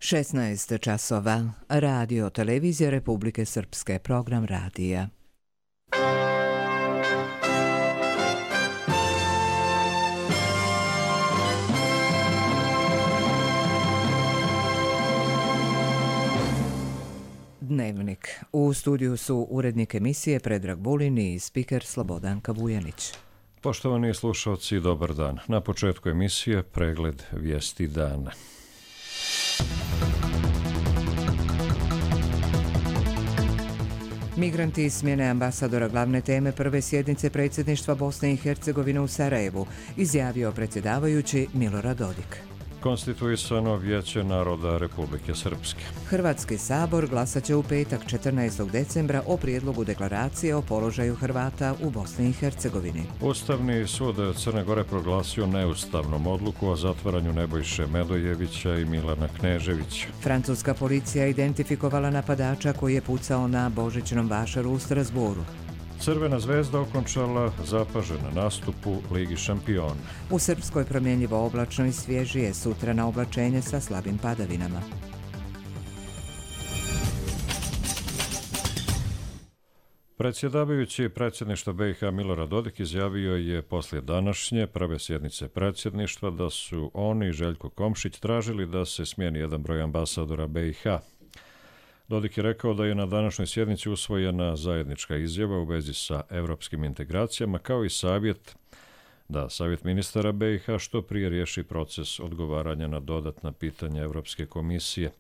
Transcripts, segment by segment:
16 časova. Radio Televizija Republike Srpske. Program radija. Dnevnik. U studiju su urednik emisije Predrag Vulin i spiker Slobodanka Vujanić. Poštovani slušalci, dobar dan. Na početku emisije pregled vijesti dana. Migranti smjene ambasadora glavne teme prve sjednice predsjedništva Bosne i Hercegovine u Sarajevu, izjavio predsjedavajući Milorad Dodik. Konstituisano Vijeće naroda Republike Srpske. Hrvatski sabor glasat će u petak 14. decembra o prijedlogu deklaracije o položaju Hrvata u Bosni i Hercegovini. Ustavni sud Crne Gore proglasio neustavnom odluku o zatvaranju Nebojše Medojevića i Milana Kneževića. Francuska policija identifikovala napadača koji je pucao na Božićnom vašaru u Strasbourgu. Crvena zvezda okončala zapažen nastupu Ligi šampiona. U Srpskoj promjenjivo oblačno i svježije, sutra na oblačenje sa slabim padavinama. Predsjedavajući predsjedništva BiH Milorad Dodik izjavio je poslije današnje prve sjednice predsjedništva da su oni i Željko Komšić tražili da se smijeni jedan broj ambasadora BiH. Dodik je rekao da je na današnjoj sjednici usvojena zajednička izjava u vezi sa europskim integracijama, kao i savjet da Savjet ministara BiH što prije riješi proces odgovaranja na dodatna pitanja Europske komisije.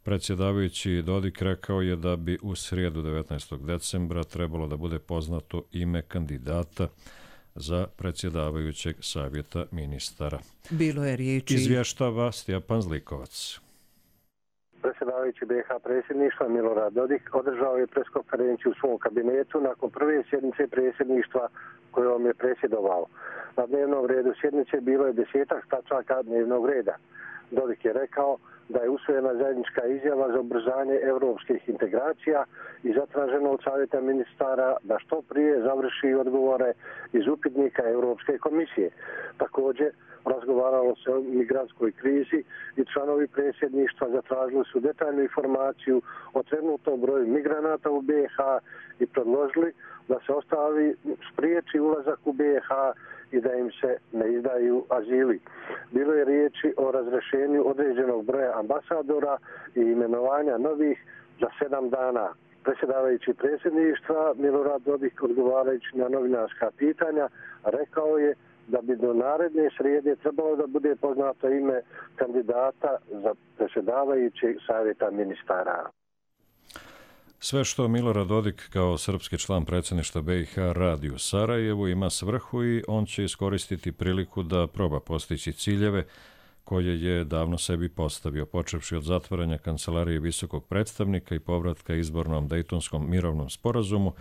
Predsjedavajući Dodik rekao je da bi u srijedu 19. decembra trebalo da bude poznato ime kandidata za predsjedavajućeg Savjeta ministara. Bilo je riječi... Izvještava Stjepan Zlikovac. Predsjedavajući BiH predsjedništva Milorad Dodik održao je preskonferenciju u svom kabinetu nakon prve sjednice predsjedništva kojom je predsjedovao. Na dnevnom redu sjednice bilo je 10 tačaka dnevnog reda. Dodik je rekao da je usvojena zajednička izjava za ubrzanje europskih integracija i zatraženo od Savjeta ministara da što prije završi odgovore iz upitnika Europske komisije. Također, razgovaralo se o migrantskoj krizi i članovi predsjedništva zatražili su detaljnu informaciju o trenutnom broju migranata u BiH i predložili da se spriječi ulazak u BiH i da im se ne izdaju azili. Bilo je riječi o razrješenju određenog broja ambasadora i imenovanja novih za 7 dana. Predsjedavajući predsjedništva Milorad Dodik, odgovarajući na novinarska pitanja, rekao je da bi do naredne srijede trebalo da bude poznato ime kandidata za predsjedavajućeg Savjeta ministara. Sve što Milorad Dodik kao srpski član predsjedništva BiH radi u Sarajevu ima svrhu i on će iskoristiti priliku da proba postići ciljeve koje je davno sebi postavio, počevši od zatvaranja kancelarije visokog predstavnika i povratka izbornom Dejtonskom mirovnom sporazumu,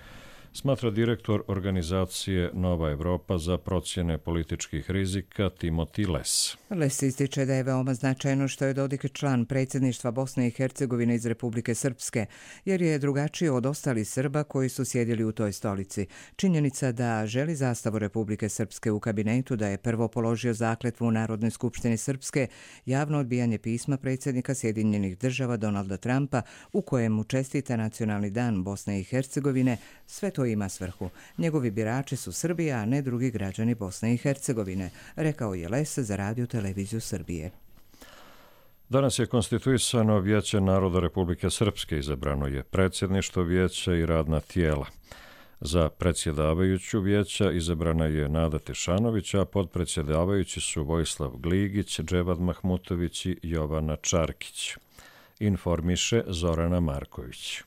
smatra direktor organizacije Nova Evropa za procjene političkih rizika Timothy Les. Les ističe da je veoma značajno što je Dodik član predsjedništva Bosne i Hercegovine iz Republike Srpske, jer je drugačiji od ostalih Srba koji su sjedili u toj stolici. Činjenica da želi zastavu Republike Srpske u kabinetu, da je prvo položio zakletvu u Narodnoj skupštini Srpske, javno odbijanje pisma predsjednika Sjedinjenih država Donalda Trumpa u kojemu čestita Nacionalni dan Bosne i Hercegovine, sve to ima svrhu. Njegovi birači su Srbija, a ne drugi građani Bosne i Hercegovine, rekao je Les za Radio Televiziju Srbije. Danas je konstituisano Vijeće naroda Republike Srpske, izabrano je predsjedništvo vijeća i radna tijela. Za predsjedavajuću vijeća izabrana je Nada Tešanović, a podpredsjedavajući su Vojislav Gligić, Dževad Mahmutović i Jovana Čarkić. Informiše Zorana Marković.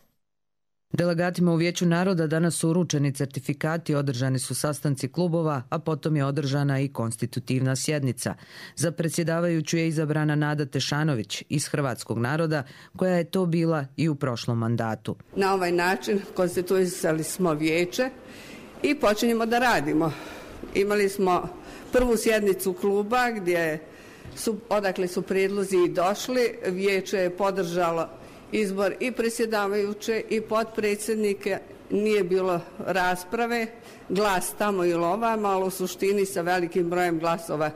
Delegatima u Vijeću naroda danas su uručeni certifikati, održani su sastanci klubova, a potom je održana i konstitutivna sjednica. Za predsjedavajuću je izabrana Nada Tešanović iz Hrvatskog naroda, koja je to bila i u prošlom mandatu. Na ovaj način konstituisali smo vijeće i počinjemo da radimo. Imali smo prvu sjednicu kluba odakle su prijedlozi i došli. Vijeće je podržalo izbor i predsjedavajuće i potpredsjednike, nije bilo rasprave, glas tamo ili ovamo, ali u suštini sa velikim brojem glasova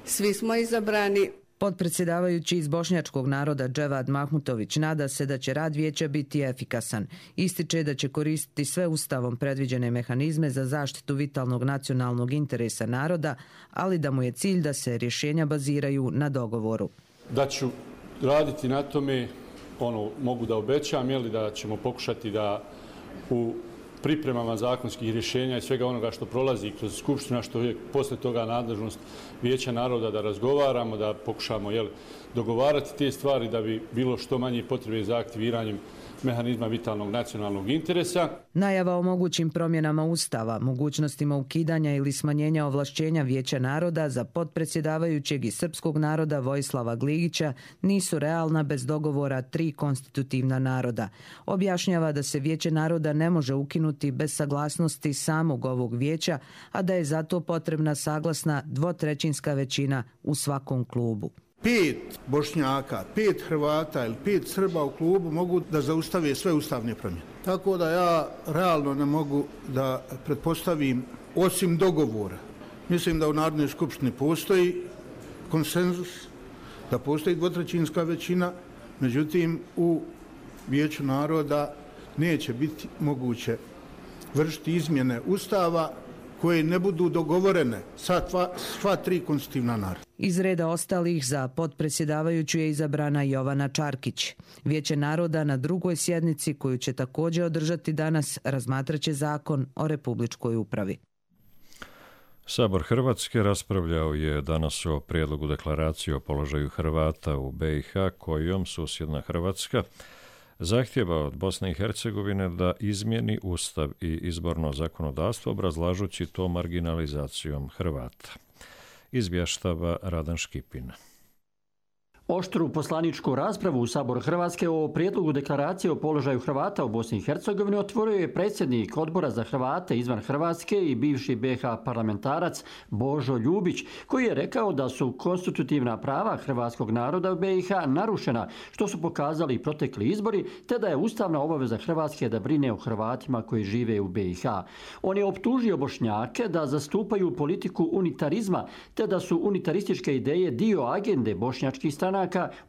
svi smo izabrani. Potpredsjedavajući iz bošnjačkog naroda Dževad Mahmutović nada se da će rad vijeća biti efikasan. Ističe da će koristiti sve ustavom predviđene mehanizme za zaštitu vitalnog nacionalnog interesa naroda, ali da mu je cilj da se rješenja baziraju na dogovoru. Da ću raditi na tome, mogu da obećam, da ćemo pokušati da u pripremama zakonskih rješenja i svega onoga što prolazi kroz Skupština, što je posle toga nadležnost Vijeća naroda da razgovaramo, da pokušamo dogovarati te stvari da bi bilo što manje potrebe za aktiviranjem mehanizma vitalnog nacionalnog interesa. Najava o mogućim promjenama Ustava, mogućnostima ukidanja ili smanjenja ovlašćenja Vijeća naroda za potpredsjedavajućeg iz srpskog naroda Vojislava Gligića nisu realna bez dogovora 3 konstitutivna naroda. Objašnjava da se Vijeće naroda ne može ukinuti bez saglasnosti samog ovog vijeća, a da je zato potrebna saglasna 2/3 većina u svakom klubu. 5 Bošnjaka, 5 Hrvata ili 5 Srba u klubu mogu da zaustave sve ustavne promjene. Tako da ja realno ne mogu da pretpostavim, osim dogovora. Mislim da u Narodnoj skupštini postoji konsenzus, da postoji 2/3 većina, međutim u Vijeću naroda neće biti moguće vršiti izmjene Ustava koje ne budu dogovorene sa sva 3 konstitutivna naroda. Iz reda ostalih za potpredsjedavajuću je izabrana Jovana Čarkić. Vijeće naroda na 2. sjednici, koju će također održati danas, razmatraće zakon o republičkoj upravi. Sabor Hrvatske raspravljao je danas o prijedlogu deklaracije o položaju Hrvata u BiH, kojom susjedna Hrvatska zahtjeva od Bosne i Hercegovine da izmijeni ustav i izborno zakonodavstvo, obrazlažući to marginalizacijom Hrvata. Izvještava Radan Škipin. Oštru poslaničku raspravu u Saboru Hrvatske o prijedlogu deklaracije o položaju Hrvata u Bosni i Hercegovini otvorio je predsjednik Odbora za Hrvate izvan Hrvatske i bivši BiH parlamentarac Božo Ljubić, koji je rekao da su konstitutivna prava hrvatskog naroda u BiH narušena, što su pokazali protekli izbori, te da je ustavna obaveza Hrvatske da brine o Hrvatima koji žive u BiH. On je optužio Bošnjake da zastupaju politiku unitarizma, te da su unitarističke ideje dio agende bošnjačkih stranaka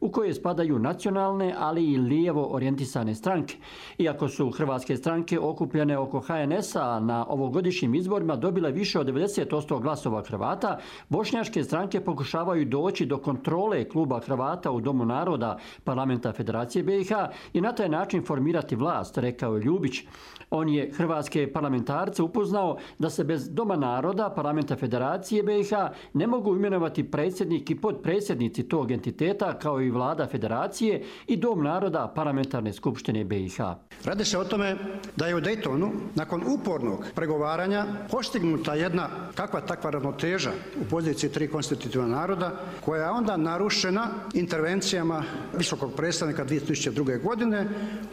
u koje spadaju nacionalne, ali i lijevo orijentisane stranke. Iako su hrvatske stranke okupljene oko HNS-a na ovogodišnjim izborima dobile više od 90% glasova Hrvata, bošnjačke stranke pokušavaju doći do kontrole kluba Hrvata u Domu naroda Parlamenta Federacije BiH i na taj način formirati vlast, rekao je Ljubić. On je hrvatske parlamentarce upoznao da se bez Doma naroda Parlamenta Federacije BiH ne mogu imenovati predsjednik i potpredsjednici tog entiteta, kao i vlada Federacije i Dom naroda Parlamentarne skupštine BiH. Radi se o tome da je u Daytonu nakon upornog pregovaranja postignuta jedna kakva takva ravnoteža u poziciji 3 konstitutivna naroda, koja je onda narušena intervencijama visokog predstavnika 2002. godine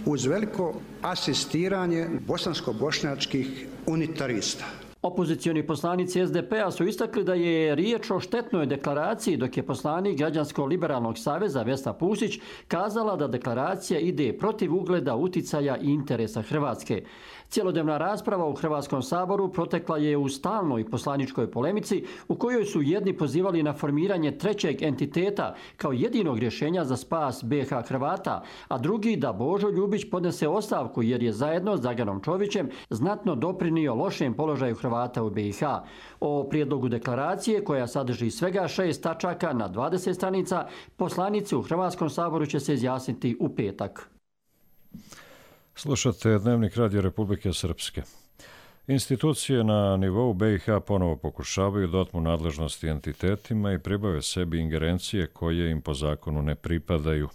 uz veliko asistiranje bosansko-bošnjačkih unitarista. Opozicioni poslanici SDP-a su istakli da je riječ o štetnoj deklaraciji, dok je poslanik Građansko-liberalnog saveza Vesna Pusić kazala da deklaracija ide protiv ugleda, uticaja i interesa Hrvatske. Cjelodnevna rasprava u Hrvatskom saboru protekla je u stalnoj poslaničkoj polemici u kojoj su jedni pozivali na formiranje trećeg entiteta kao jedinog rješenja za spas BiH Hrvata, a drugi da Božo Ljubić podnese ostavku jer je zajedno s Draganom Čovićem znatno doprinio lošem položaju Hrvata u BiH. O prijedlogu deklaracije, koja sadrži svega 6 tačaka na 20 stranica, poslanici u Hrvatskom saboru će se izjasniti u petak. Slušate Dnevnik Radio Republike Srpske. Institucije na nivou BiH ponovo pokušavaju da otmu nadležnosti entitetima i pribave sebi ingerencije koje im po zakonu ne pripadaju.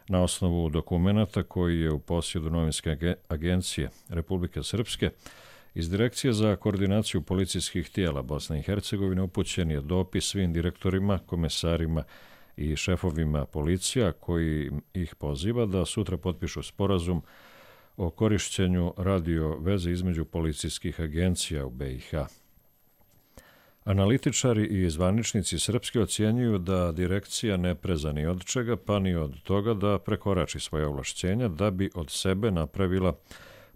Na osnovu dokumenata koji je u posjedu novinske agencije Republike Srpske, iz Direkcije za koordinaciju policijskih tijela Bosne i Hercegovine upućen je dopis svim direktorima, komesarima i šefovima policija koji ih poziva da sutra potpišu sporazum o korišćenju radio veze između policijskih agencija u BiH. Analitičari i zvaničnici srpski ocjenjuju da direkcija ne preza ni od čega, pa ni od toga da prekorači svoje ovlašćenja da bi od sebe napravila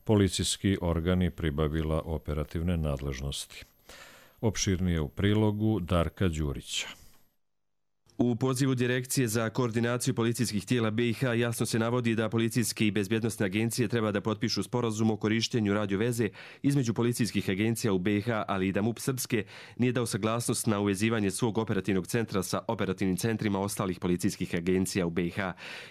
policijski organ i pribavila operativne nadležnosti. Opširnije u prilogu Darka Đurića. U pozivu Direkcije za koordinaciju policijskih tijela BiH jasno se navodi da policijske i bezbjednosne agencije treba da potpišu sporazum o korištenju radioveze između policijskih agencija u BiH, ali i da MUP Srpske nije dao saglasnost na uvezivanje svog operativnog centra sa operativnim centrima ostalih policijskih agencija u BiH.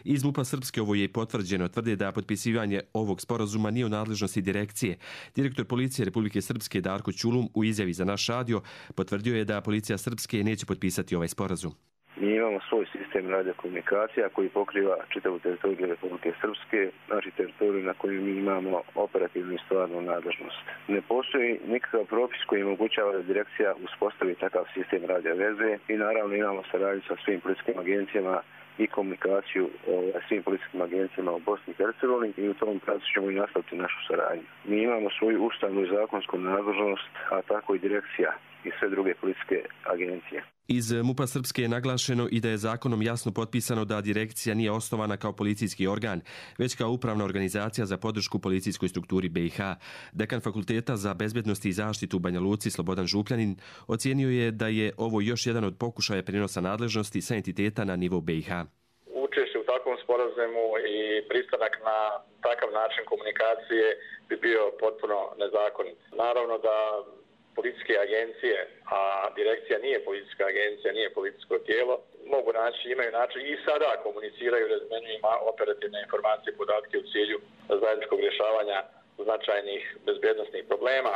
Iz MUP-a Srpske ovo je potvrđeno, tvrde da potpisivanje ovog sporazuma nije u nadležnosti Direkcije. Direktor policije Republike Srpske Darko Ćulum u izjavi za naš radio potvrdio je da policija Srpske neće potpisati ovaj sporazum. Mi imamo svoj sistem radiokomunikacija koji pokriva čitavu teritoriju Republike Srpske, znači teritoriju na kojoj mi imamo operativnu i stvarnu nadležnost. Ne postoji nikakav propis koji omogućava da Direkcija uspostavi takav sistem radioveze i naravno imamo saradnju sa svim policijskim agencijama i komunikaciju svim policijskim agencijama u Bosni i Hercegovini i u tom pravcu ćemo i nastaviti našu saradnju. Mi imamo svoju ustavnu i zakonsku nadležnost, a tako i Direkcija i sve druge policijske agencije. Iz MUP-a Srpske je naglašeno i da je zakonom jasno potpisano da Direkcija nije osnovana kao policijski organ, već kao upravna organizacija za podršku policijskoj strukturi BiH. Dekan Fakulteta za bezbednost i zaštitu u Banja Luci Slobodan Župljanin ocijenio je da je ovo još jedan od pokušaja prenosa nadležnosti sa entiteta na nivo BiH. Učešće u takvom sporazumu i pristanak na takav način komunikacije bi bio potpuno nezakonit. Naravno da policijske agencije, a Direkcija nije policijska agencija, nije policijsko tijelo, mogu naći, imaju način i sada komuniciraju, razmenjuju operativne informacije i podatke u cilju zajedničkog rješavanja značajnih bezbjednosnih problema.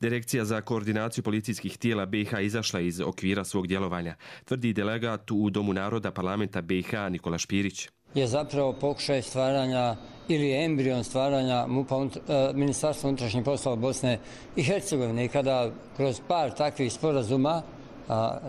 Direkcija za koordinaciju policijskih tijela BiH izašla iz okvira svog djelovanja, tvrdi delegat u Domu naroda parlamenta BiH Nikola Špirić. Je zapravo pokušaj stvaranja ili embrion stvaranja Ministarstva unutrašnjih poslova Bosne i Hercegovine. I kada kroz par takvih sporazuma,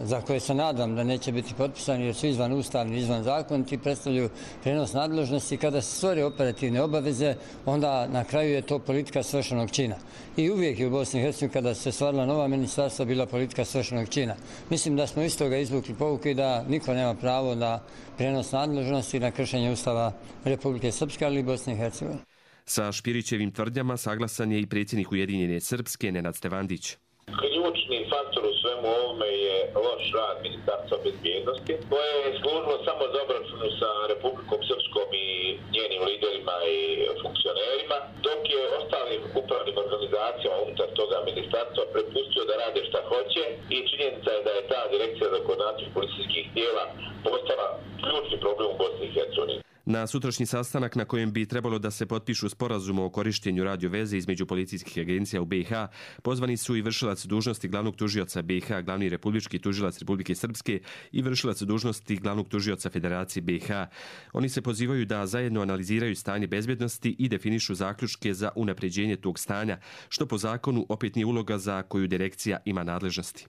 za koje se nadam da neće biti potpisani jer su izvan ustavni, izvan zakoniti, predstavljaju prenos nadležnosti, kada se stvore operativne obaveze, onda na kraju je to politika svršenog čina. I uvijek je u Bosni i Hercegovini kada se stvarila nova ministarstva bila politika svršenog čina. Mislim da smo iz toga izvukli pouku i da niko nema pravo na prenos nadležnosti na kršenje Ustava Republike Srpske, ali i Bosne i Hercegovine. Sa Špirićevim tvrdnjama saglasan je i predsjednik Ujedinjene Srpske Nenad Stevandić. Ključni faktor u svemu ovome je loš rad Ministarstva bezbjednosti, koje je služilo samo za obračunu sa Republikom Srpskom i njenim liderima i funkcionerima, dok je ostalim upravnim organizacijama unutar toga ministarstva prepustio da rade šta hoće i činjenica je da je ta Direkcija za koordinaciju policijskih tijela postala ključni problem u Bosni i Hercegovini. Na sutrašnji sastanak na kojem bi trebalo da se potpišu sporazum o korištenju radioveze između policijskih agencija u BiH, pozvani su i vršilac dužnosti glavnog tužioca BiH, glavni republički tužilac Republike Srpske i vršilac dužnosti glavnog tužioca Federacije BiH. Oni se pozivaju da zajedno analiziraju stanje bezbjednosti i definišu zaključke za unapređenje tog stanja, što po zakonu opet nije uloga za koju Direkcija ima nadležnosti.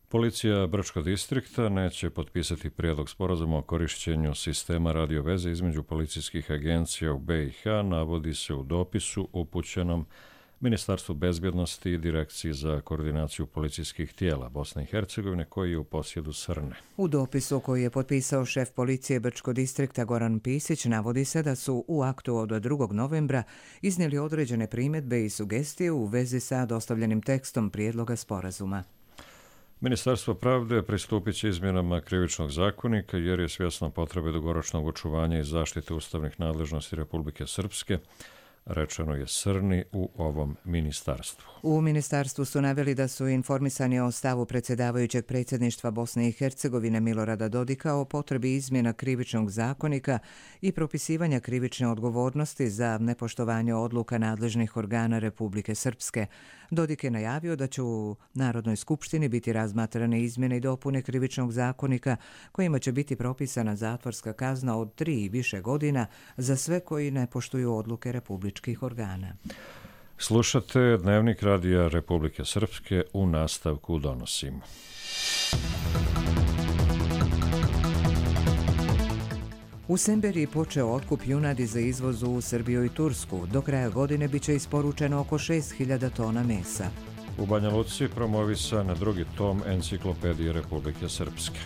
Policija Brčkog distrikta neće potpisati prijedlog sporazuma o korišćenju sistema radioveze između policijskih agencija u BiH, navodi se u dopisu upućenom Ministarstvu bezbjednosti i Direkciji za koordinaciju policijskih tijela Bosne i Hercegovine, koji je u posjedu Srne. U dopisu koji je potpisao šef policije Brčkog distrikta Goran Pisić navodi se da su u aktu od 2. novembra iznijeli određene primjedbe i sugestije u vezi sa dostavljenim tekstom prijedloga sporazuma. Ministarstvo pravde pristupit će izmjenama krivičnog zakonika jer je svjesno potrebe dugoročnog očuvanja i zaštite ustavnih nadležnosti Republike Srpske, rečeno je Srni u ovom ministarstvu. U ministarstvu su naveli da su informisani o stavu predsjedavajućeg predsjedništva Bosne i Hercegovine Milorada Dodika o potrebi izmjena krivičnog zakonika i propisivanja krivične odgovornosti za nepoštovanje odluka nadležnih organa Republike Srpske. Dodik je najavio da će u Narodnoj skupštini biti razmatrane izmjene i dopune krivičnog zakonika kojima će biti propisana zatvorska kazna od 3 i više godina za sve koji ne poštuju odluke republičkih organa. Slušate Dnevnik Radija Republike Srpske, u nastavku donosimo. U Semberiji počeo otkup junadi za izvoz u Srbiju i Tursku. Do kraja godine biće isporučeno oko 6.000 tona mesa. U Banja Luci promovisan 2. tom Enciklopedije Republike Srpske.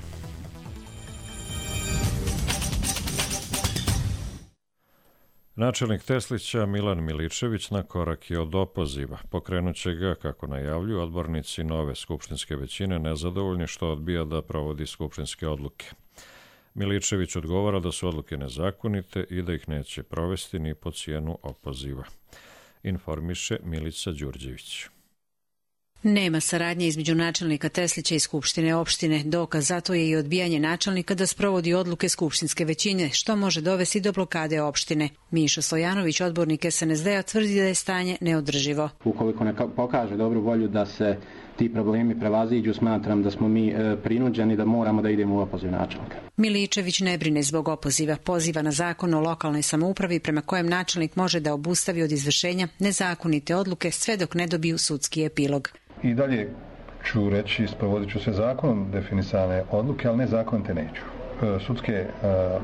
Načelnik Teslića Milan Miličević na korak je od opoziva. Pokrenut će ga, kako najavljuju odbornici nove skupštinske većine, nezadovoljni što odbija da provodi skupštinske odluke. Miličević odgovara da su odluke nezakonite i da ih neće provesti ni po cijenu opoziva. Informiše Milica Đurđević. Nema saradnje između načelnika Teslića i Skupštine opštine. Dokaz zato je i odbijanje načelnika da sprovodi odluke skupštinske većine, što može dovesti do blokade opštine. Mišo Stojanović, odbornik SNSD-a, tvrdi da je stanje neodrživo. Ukoliko ne pokaže dobru volju da se ti problemi prevaziđu, smatram da smo mi prinuđeni da moramo da idemo u opoziv načelnika. Miličević ne brine zbog opoziva. Poziva na zakon o lokalnoj samoupravi prema kojem načelnik može da obustavi od izvršenja nezakonite odluke sve dok ne dobiju sudski epilog. I dalje ću reći, sprovodit ću se zakonom definisane odluke, ali nezakonite neću. Sudske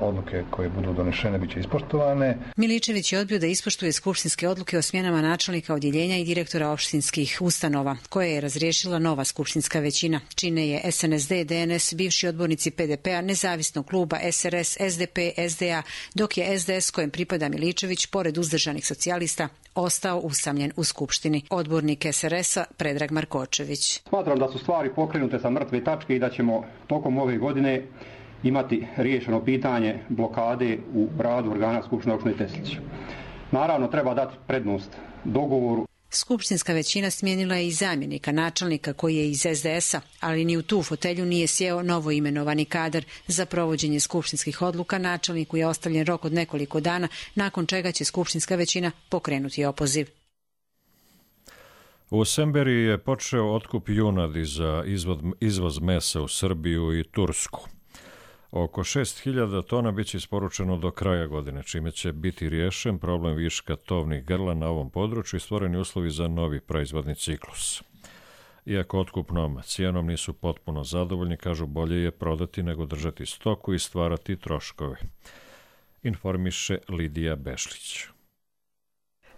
odluke koje budu donešene bit će ispoštovane. Miličević je odbio da ispoštuje skupštinske odluke o smjenama načelnika odjeljenja i direktora opštinskih ustanova, koje je razriješila nova skupštinska većina. Čine je SNSD, DNS, bivši odbornici PDP-a, nezavisnog kluba SRS, SDP, SDA, dok je SDS, kojem pripada Miličević, pored uzdržanih socijalista, ostao usamljen u skupštini. Odbornik SRS-a Predrag Markočević. Smatram da su stvari pokrenute sa mrtve tačke i da ćemo tokom ove godine imati riješeno pitanje blokade u radu organa Skupštine opštine Teslić. Naravno, treba dati prednost dogovoru. Skupštinska većina smijenila je i zamjenika načelnika koji je iz SDS-a, ali ni u tu fotelju nije sjeo novo imenovani kadar. Za provođenje skupštinskih odluka načelniku je ostavljen rok od nekoliko dana, nakon čega će skupštinska većina pokrenuti opoziv. U Semberiji je počeo otkup junadi za izvoz mesa u Srbiju i Tursku. Oko 6.000 tona biće isporučeno do kraja godine, čime će biti riješen problem viška tovnih grla na ovom području i stvoreni uslovi za novi proizvodni ciklus. Iako otkupnom cijenom nisu potpuno zadovoljni, kažu bolje je prodati nego držati stoku i stvarati troškove. Informiše Lidija Bešlić.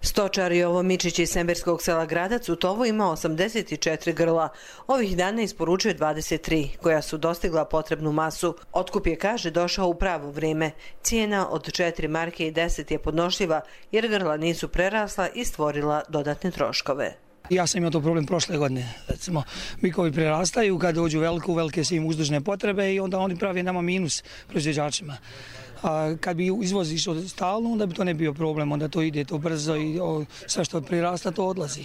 Stočar Jovo Mičić iz semberskog sela Gradac u tovu ima 84 grla. Ovih dana isporučuje 23, koja su dostigla potrebnu masu. Otkup je, kaže, došao u pravo vrijeme. Cijena od 4 marke i 10 je podnošljiva jer grla nisu prerasla i stvorila dodatne troškove. Ja sam imao to problem prošle godine. Recimo, bikovi prerastaju, kad dođu velike su im uzdužne potrebe i onda oni pravi nama minus proizvođačima. A kad bi izvoz išao stalno, onda bi to ne bio problem, onda to ide to brzo i sve što prirasta to odlazi.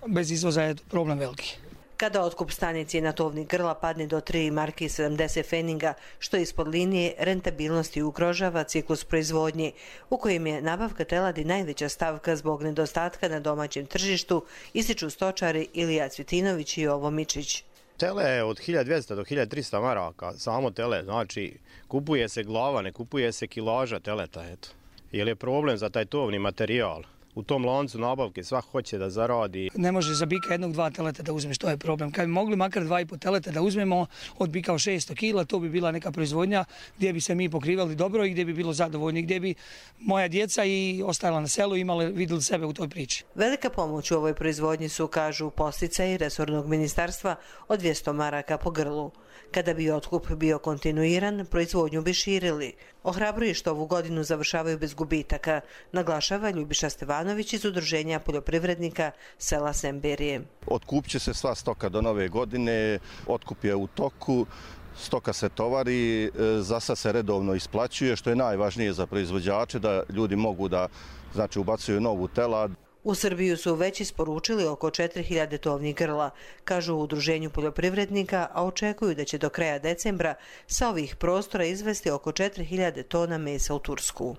Bez izvoza je problem veliki. Kada otkup stane cijena tovnih grla padne do 3 marke i 70 feninga, što ispod linije rentabilnosti ugrožava ciklus proizvodnje, u kojem je nabavka teladi najveća stavka zbog nedostatka na domaćem tržištu, ističu stočari Ilija Cvjetinović i Jovo Mičić. Tele je od 1200 do 1300 maraka, samo tele, znači kupuje se glava, ne kupuje se kilaža teleta, eto. Jer je problem za taj tovni materijal. U tom lancu nabavke svak hoće da zaradi. Ne može za bika 1-2 teleta da uzmeš, to je problem. Kad bi mogli makar 2,5 teleta da uzmemo od bika 600 kila, to bi bila neka proizvodnja gdje bi se mi pokrivali dobro i gdje bi bilo zadovoljni, gdje bi moja djeca i ostala na selu vidjeli sebe u toj priči. Velika pomoć u ovoj proizvodnji su, kažu, posticaji resornog ministarstva od 200 maraka po grlu. Kada bi otkup bio kontinuiran, proizvodnju bi širili. Ohrabruje što ovu godinu završavaju bez gubitaka, naglašava Ljubiša Stevanović iz Udruženja poljoprivrednika sela Semberije. Otkupit će se sva stoka do nove godine, otkup je u toku, stoka se tovari, zasa se redovno isplaćuje, što je najvažnije za proizvođače, da ljudi mogu da ubacuju novu telad. U Srbiju su već isporučili oko 4000 tovnih grla, kažu u Udruženju poljoprivrednika, a očekuju da će do kraja decembra sa ovih prostora izvesti oko 4000 tona mesa u Tursku.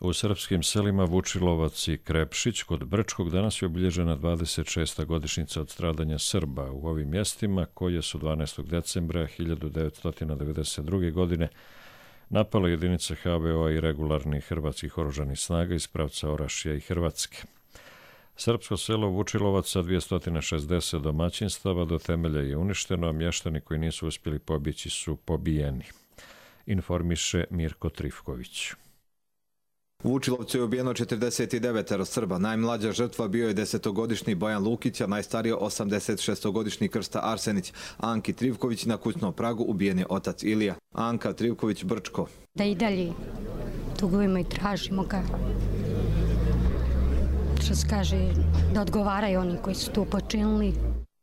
U srpskim selima Vučilovac i Krepšić kod Brčkog danas je obilježena 26. godišnjica od stradanja Srba u ovim mjestima, koje su 12. decembra 1992. godine napale jedinice HVO-a i regularnih hrvatskih oružanih snaga iz pravca Orašja i Hrvatske. Srpsko selo Vučilovac sa 260 domaćinstava do temelja je uništeno, a mještani koji nisu uspjeli pobjeći su pobijeni. Informiše Mirko Trifković. U Vučilovcu je ubijeno 49 Srba. Najmlađa žrtva bio je 10-godišnji Bojan Lukić, a najstariji 86-godišnji Krsta Arsenić. Anki Trivković na kućnom pragu ubijen je otac Ilija. Anka Trivković Brčko. Da i dalje tugujemo i tražimo ga. Što se kaže, da odgovaraju oni koji su to počinili.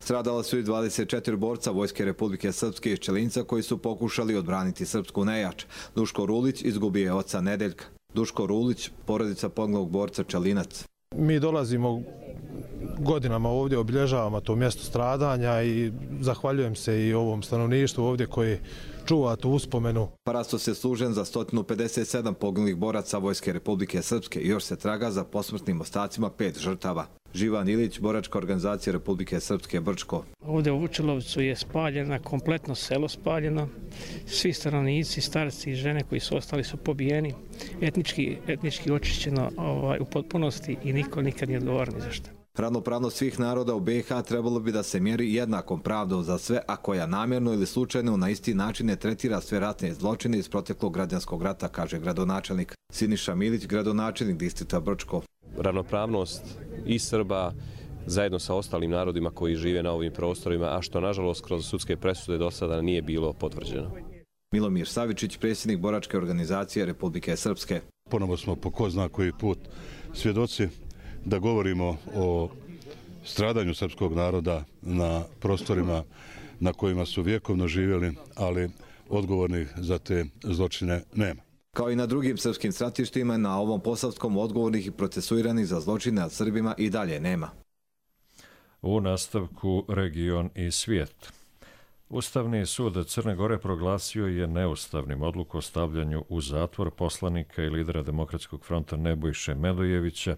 Stradala su i 24 borca Vojske Republike Srpske iz Čelinca koji su pokušali odbraniti srpsku nejač. Duško Rulić izgubio je oca Nedeljka. Duško Rulić, porodica poginulog borca Čelinac. Mi dolazimo godinama ovdje, obilježavamo to mjesto stradanja i zahvaljujem se i ovom stanovništvu ovdje koji čuva tu uspomenu. Parastos je služen za 157 poginulih boraca Vojske Republike Srpske i još se traga za posmrtnim ostacima 5 žrtava. Živan Ilić, boračka organizacija Republike Srpske Brčko. Ovdje u Vučilovcu je spaljena, kompletno selo spaljeno. Svi stanovnici, starci i žene koji su ostali su pobijeni, etnički očišćeno u potpunosti i niko nikad nije odgovoran ni za što. Ravnopravnost svih naroda u BiH trebalo bi da se mjeri jednakom pravdom za sve, a koja namjerno ili slučajno na isti način ne tretira sve ratne zločine iz proteklog građanskog rata, kaže gradonačelnik. Siniša Milić, gradonačelnik distrikta Brčko. Ravnopravnost i Srba zajedno sa ostalim narodima koji žive na ovim prostorima, a što nažalost kroz sudske presude do sada nije bilo potvrđeno. Milomir Savičić, predsjednik boračke organizacije Republike Srpske. Ponovo smo po ko zna koji put svjedoci da govorimo o stradanju srpskog naroda na prostorima na kojima su vjekovno živjeli, ali odgovornih za te zločine nema. Kao i na drugim srpskim stratištima, na ovom posavskom odgovornih i procesuiranih za zločine nad Srbima i dalje nema. U nastavku region i svijet. Ustavni sud Crne Gore proglasio je neustavnim odluku o stavljanju u zatvor poslanika i lidera Demokratskog fronta Nebojše Medojevića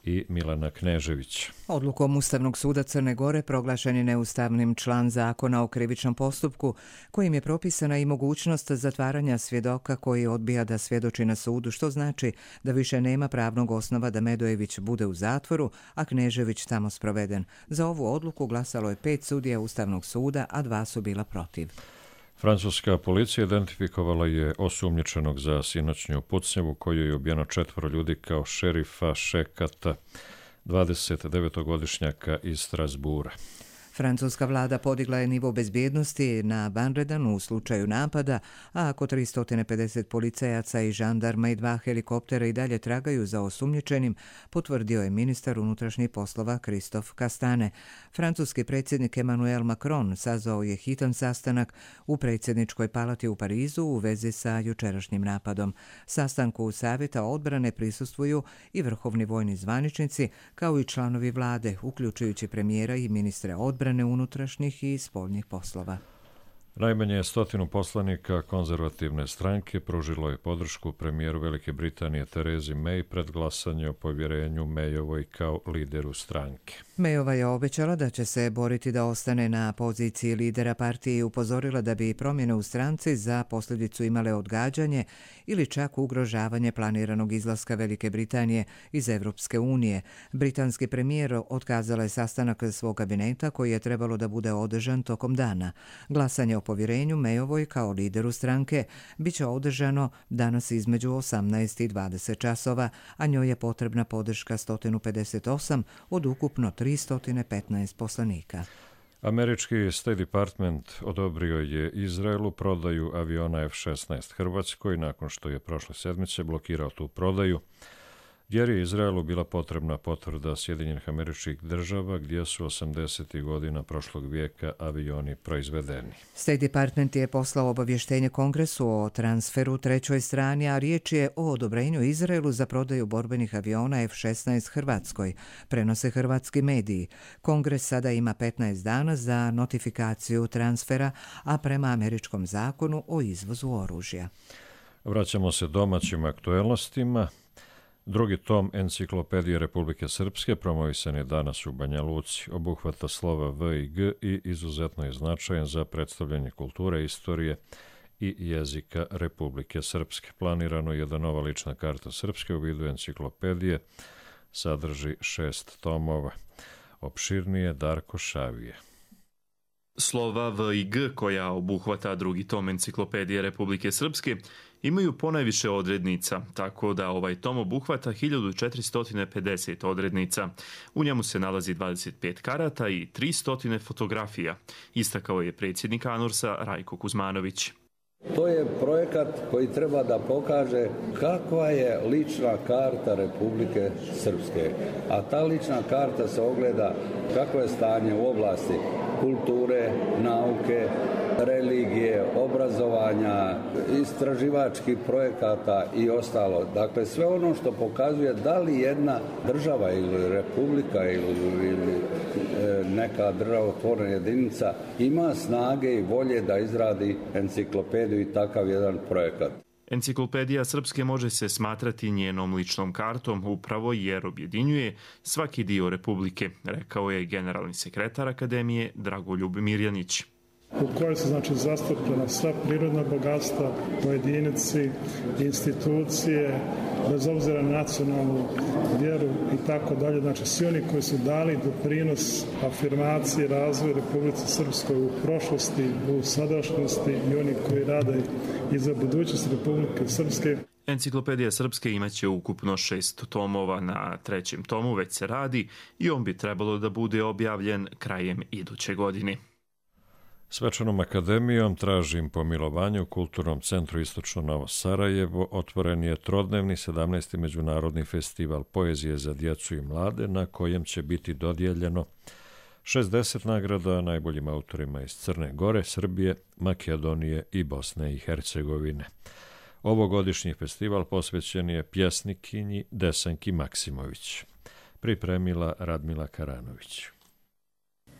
i Milana Kneževića. Odlukom Ustavnog suda Crne Gore proglašen je neustavnim član zakona o krivičnom postupku, kojim je propisana i mogućnost zatvaranja svjedoka koji odbija da svjedoči na sudu, što znači da više nema pravnog osnova da Medojević bude u zatvoru, a Knežević tamo sproveden. Za ovu odluku glasalo je 5 sudija Ustavnog suda, a 2 su bila protiv. Francuska policija identifikovala je osumnjičenog za sinoćnju pucnjavu koju je ubijeno 4 ljudi kao šerifa Šekata, 29-godišnjaka iz Strasbura. Francuska vlada podigla je nivo bezbjednosti na vanredan u slučaju napada, a oko 350 policajaca i žandarma i 2 helikoptera i dalje tragaju za osumnjičenim, potvrdio je ministar unutrašnjih poslova Christophe Castane. Francuski predsjednik Emmanuel Macron sazvao je hitan sastanak u predsjedničkoj palati u Parizu u vezi sa jučerašnjim napadom. Sastanku Savjeta odbrane prisustvuju i vrhovni vojni zvaničnici, kao i članovi vlade, uključujući premijera i ministre odbrane, unutrašnjih i spoljnih poslova. Najmanje 100 poslanika konzervativne stranke pružilo je podršku premijeru Velike Britanije Terezi May pred glasanje o povjerenju Mayovoj kao lideru stranke. Mayova je obećala da će se boriti da ostane na poziciji lidera partije i upozorila da bi promjene u stranci za posljedicu imale odgađanje ili čak ugrožavanje planiranog izlaska Velike Britanije iz Evropske unije. Britanski premijer otkazala je sastanak svog kabineta koji je trebalo da bude održan tokom dana. Glasanje o povjerenju Mayovoj kao lideru stranke biće održano danas između 18 i 20 časova, a njoj je potrebna podrška 158 od ukupno 315 poslanika. Američki State Department odobrio je Izraelu prodaju aviona F-16 Hrvatskoj nakon što je prošle sedmice blokirao tu prodaju, jer je Izraelu bila potrebna potvrda Sjedinjenih Američkih Država gdje su 80. godina prošlog vijeka avioni proizvedeni. State Department je poslao obavještenje Kongresu o transferu trećoj strani, a riječ je o odobrenju Izraelu za prodaju borbenih aviona F-16 Hrvatskoj, prenose hrvatski mediji. Kongres sada ima 15 dana za notifikaciju transfera, a prema američkom zakonu o izvozu oružja. Vraćamo se domaćim aktuelnostima. Drugi tom Enciklopedije Republike Srpske promovisan je danas u Banja Luci. Obuhvata slova V i G i izuzetno je značajan za predstavljanje kulture, istorije i jezika Republike Srpske. Planirano je da nova lična karta Srpske u vidu enciklopedije sadrži 6 tomova. Opširnije Darko Šavije. Slova V i G, koja obuhvata drugi tom Enciklopedije Republike Srpske, imaju ponajviše odrednica, tako da ovaj tom obuhvata 1450 odrednica. U njemu se nalazi 25 karata i 300 fotografija, istakao je predsjednik ANURS-a Rajko Kuzmanović. To je projekat koji treba da pokaže kakva je lična karta Republike Srpske. A ta lična karta se ogleda kako je stanje u oblasti kulture, nauke, religije, obrazovanja, istraživačkih projekata i ostalo. Dakle, sve ono što pokazuje da li jedna država ili republika ili neka državotvorna jedinica ima snage i volje da izradi enciklopediju i takav jedan projekat. Enciklopedija Srpske može se smatrati njenom ličnom kartom upravo jer objedinjuje svaki dio Republike, rekao je generalni sekretar Akademije Dragoljub Mirjanić. U kojoj su zastupljena sva prirodna bogatstva, pojedinci, institucije, bez obzira na nacionalnu vjeru i tako dalje. Znači svi oni koji su dali doprinos afirmaciji razvoju Republike Srpskoj u prošlosti, u sadašnjosti i oni koji rade i za budućnost Republike Srpske. Enciklopedija Srpske imaće ukupno 6 tomova, na 3. tomu već se radi i on bi trebalo da bude objavljen krajem iduće godine. Svečanom akademijom tražim pomilovanje u Kulturnom centru Istočno Novo Sarajevo otvoren je trodnevni 17. međunarodni festival poezije za djecu i mlade na kojem će biti dodijeljeno 60 nagrada najboljim autorima iz Crne Gore, Srbije, Makedonije i Bosne i Hercegovine. Ovogodišnji festival posvećen je pjesnikinji Desanki Maksimović. Pripremila Radmila Karanović.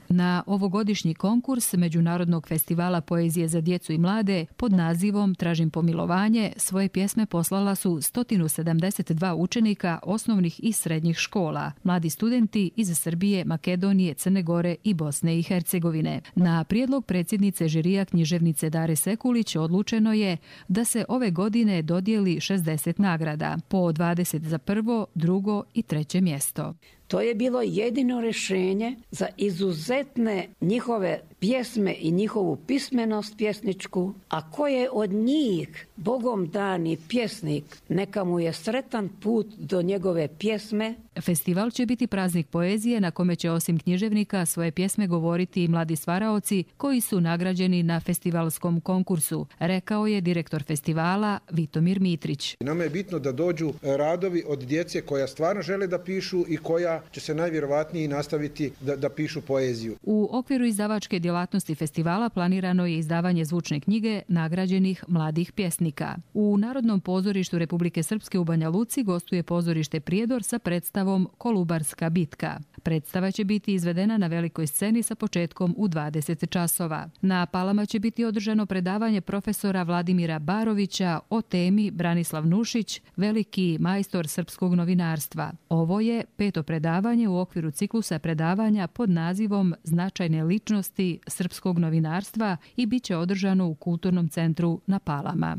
Na ovogodišnji konkurs Međunarodnog festivala poezije za djecu i mlade pod nazivom Tražim pomilovanje svoje pjesme poslala su 172 učenika osnovnih i srednjih škola, mladi studenti iz Srbije, Makedonije, Crne Gore i Bosne i Hercegovine. Na prijedlog predsjednice žirija književnice Dare Sekulić odlučeno je da se ove godine dodijeli 60 nagrada, po 20 za prvo, drugo i treće mjesto. To je bilo jedino rješenje za izuzetne njihove pjesme i njihovu pismenost pjesničku, a ko je od njih Bogom dani pjesnik, neka mu je sretan put do njegove pjesme. Festival će biti praznik poezije na kome će osim književnika svoje pjesme govoriti i mladi stvaraoci koji su nagrađeni na festivalskom konkursu, rekao je direktor festivala Vitomir Mitrić. Nama je bitno da dođu radovi od djece koja stvarno žele da pišu i koja će se najvjerovatnije nastaviti da pišu poeziju. U okviru izdavačke djelatnosti festivala planirano je izdavanje zvučne knjige nagrađenih mladih pjesnika. U Narodnom pozorištu Republike Srpske u Banja Luci gostuje pozorište Prijedor sa predstavom Kolubarska bitka. Predstava će biti izvedena na velikoj sceni sa početkom u 20 časova. Na Palama će biti održano predavanje profesora Vladimira Barovića o temi Branislav Nušić, veliki majstor srpskog novinarstva. Ovo je 5. predavanje u okviru ciklusa predavanja pod nazivom Značajne ličnosti srpskog novinarstva i bit će održano u Kulturnom centru na Palama.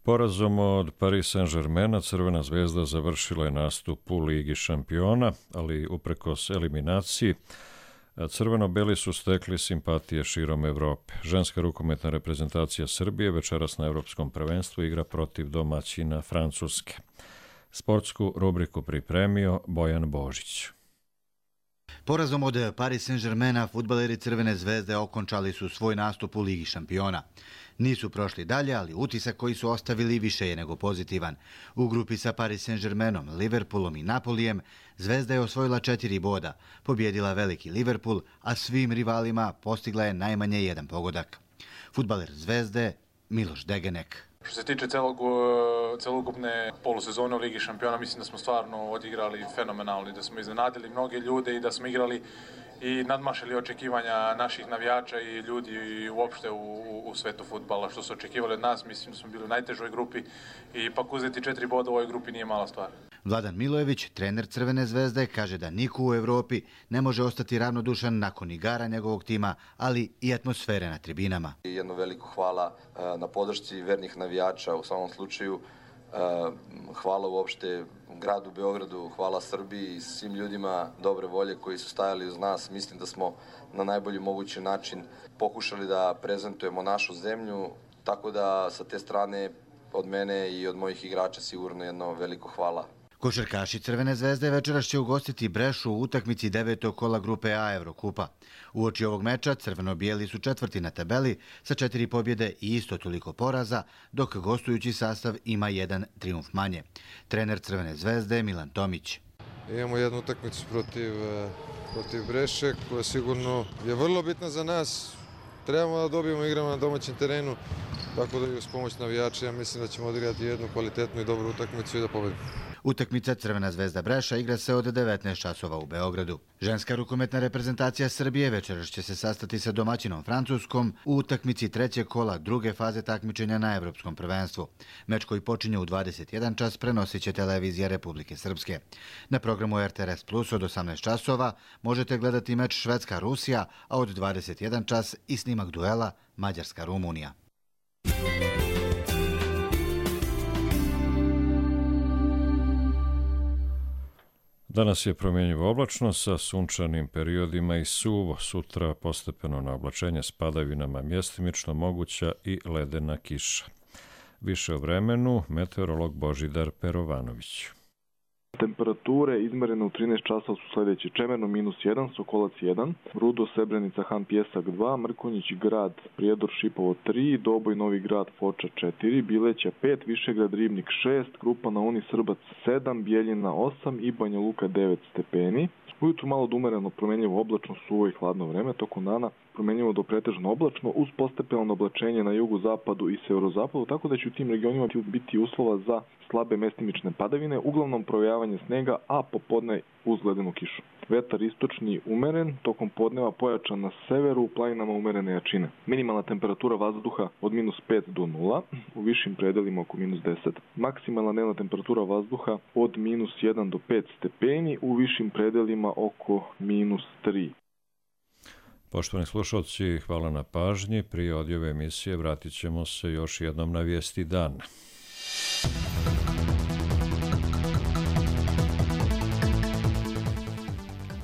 Porazom od Paris Saint-Germaina Crvena zvezda završila je nastup u Ligi šampiona, ali uprkos eliminaciji crveno-beli su stekli simpatije širom Evrope. Ženska rukometna reprezentacija Srbije večeras na Evropskom prvenstvu igra protiv domaćina Francuske. Sportsku rubriku pripremio Bojan Božić. Porazom od Paris Saint-Germaina fudbaleri Crvene zvezde okončali su svoj nastup u Ligi šampiona. Nisu prošli dalje, ali utisak koji su ostavili više je nego pozitivan. U grupi sa Paris Saint-Germainom, Liverpoolom i Napolijem Zvezda je osvojila 4 boda, pobjedila veliki Liverpool, a svim rivalima postigla je najmanje 1 pogodak. Fudbaler Zvezde Miloš Degenek. Što se tiče celokupne polusezone u Ligi šampiona, mislim da smo stvarno odigrali fenomenalno i da smo iznenadili mnoge ljude i da smo igrali i nadmašili očekivanja naših navijača i ljudi uopšte u svetu fudbala. Što su očekivali od nas, mislim da smo bili u najtežoj grupi i ipak uzeti 4 boda u ovoj grupi nije mala stvar. Vladan Milojević, trener Crvene zvezde, kaže da niko u Evropi ne može ostati ravnodušan nakon igara njegovog tima, ali i atmosfere na tribinama. Jedno veliko hvala na podršci vernih navijača u samom slučaju. hvala uopšte gradu Beogradu, hvala Srbiji i svim ljudima dobre volje koji su stajali uz nas. Mislim da smo na najbolji mogući način pokušali da prezentujemo našu zemlju, tako da sa te strane od mene i od mojih igrača sigurno jedno veliko hvala. Košarkaši Crvene zvezde večeras će ugostiti Brešu u utakmici 9. kola grupe A Evrokupa. Uoči ovog meča crveno-bijeli su 4. na tabeli sa 4 pobjede i isto toliko poraza, dok gostujući sastav ima 1 trijumf manje. Trener Crvene zvezde Milan Tomić. Imamo jednu utakmicu protiv Breše koja sigurno je vrlo bitna za nas. Trebamo da dobijemo, igramo na domaćem terenu, tako da i uz pomoć navijača ja mislim da ćemo odigrati jednu kvalitetnu i dobru utakmicu i da pobedimo. Utakmica Crvena zvezda Breša igra se od 19 časova u Beogradu. Ženska rukometna reprezentacija Srbije večeras će se sastati sa domaćinom Francuskom u utakmici 3. kola druge faze takmičenja na Evropskom prvenstvu. Meč koji počinje u 21 čas prenosit će televizija Republike Srpske. Na programu RTS Plus od 18 časova možete gledati meč Švedska-Rusija, a od 21 čas i snimak duela Mađarska-Rumunija. Danas je promjenjivo oblačno sa sunčanim periodima i suvo. Sutra postepeno na oblačenje s padavinama, mjestimično moguća i ledena kiša. Više o vremenu meteorolog Božidar Perovanović. Temperature izmerene u 13 časova su sljedeće: Čemerno -1, Sokolac 1, Rudo, Srebrenica, Han Pjesak 2, Mrkonjić Grad, Prijedor, Šipovo 3, Doboj, Novi Grad, Foča 4, Bileća 5, Višegrad, Ribnik 6, Krupa na Uni, Srbac 7, Bijeljina 8 i Banja Luka 9 stepeni. Ujutru malo umereno promjenjivo oblačno, suvo i hladno vreme, tokom dana promjenjivo do pretežno oblačno uz postepeno oblačenje na jugu, zapadu i severozapadu, tako da će u tim regionima biti uslova za slabe mestimične padavine, uglavnom provejavanje snega, a popodne uz ledenu kišu. Vetar istočni umeren, tokom podneva pojačan na severu, u planinama umerene jačine. Minimalna temperatura vazduha od -5 do 0, u višim predelima oko -10. Maksimalna dnevna temperatura vazduha od -1 do 5 stepeni, u višim predelima oko -3. Poštovani slušalci, hvala na pažnji. Prije odjave emisije vratit ćemo se još jednom na vijesti dana.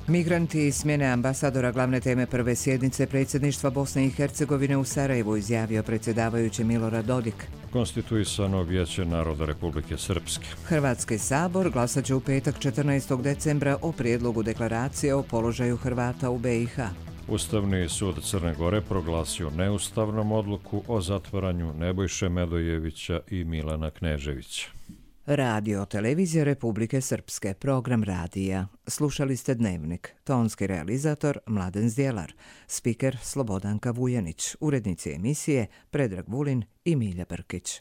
Migranti i smjene ambasadora glavne teme prve sjednice predsjedništva Bosne i Hercegovine u Sarajevu, izjavio predsjedavajući Milorad Dodik. Konstituisano Vijeće naroda Republike Srpske. Hrvatski sabor glasat će u petak 14. decembra o prijedlogu deklaracije o položaju Hrvata u BiH. Ustavni sud Crne Gore proglasio neustavnom odluku o zatvaranju Nebojše Medojevića i Milana Kneževića. Radio televizija Republike Srpske, program radija. Slušali ste Dnevnik. Tonski realizator Mladen Zdjelar, spiker Slobodanka Vujanić, urednici emisije Predrag Vulin i Milja Brkić.